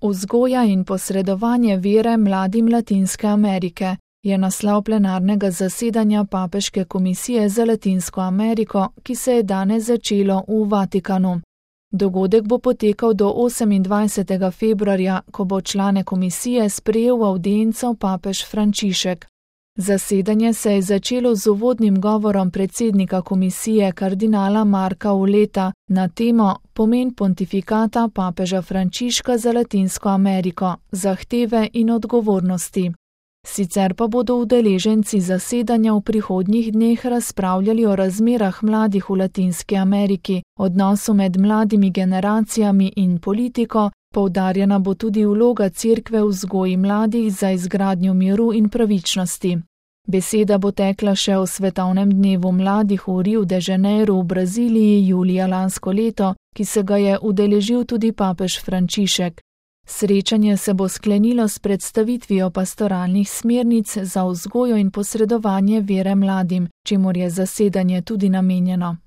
Vzgoja in posredovanje vere mladim Latinske Amerike je naslov plenarnega zasedanja Papeške komisije za Latinsko Ameriko, ki se je danes začelo v Vatikanu. Dogodek bo potekal do 28. februarja, ko bo člane komisije sprejel v avdienco papež Frančišek. Zasedanje se je začelo z uvodnim govorom predsednika komisije kardinala Marka Auleta na temo Pomen pontifikata papeža Frančiška za Latinsko Ameriko, zahteve in odgovornosti. Sicer pa bodo udeleženci zasedanja v prihodnjih dneh razpravljali o razmerah mladih v Latinski Ameriki, odnosu med mladimi generacijami in politiko, poudarjena bo tudi vloga Cerkve v vzgoji mladih za izgradnjo miru in pravičnosti. Beseda bo tekla še o svetovnem dnevu mladih v Rio de Janeiro v Braziliji julija lansko leto, ki se ga je udeležil tudi papež Frančišek. Srečanje se bo sklenilo s predstavitvijo pastoralnih smernic za vzgojo in posredovanje vere mladim, čemur je zasedanje tudi namenjeno.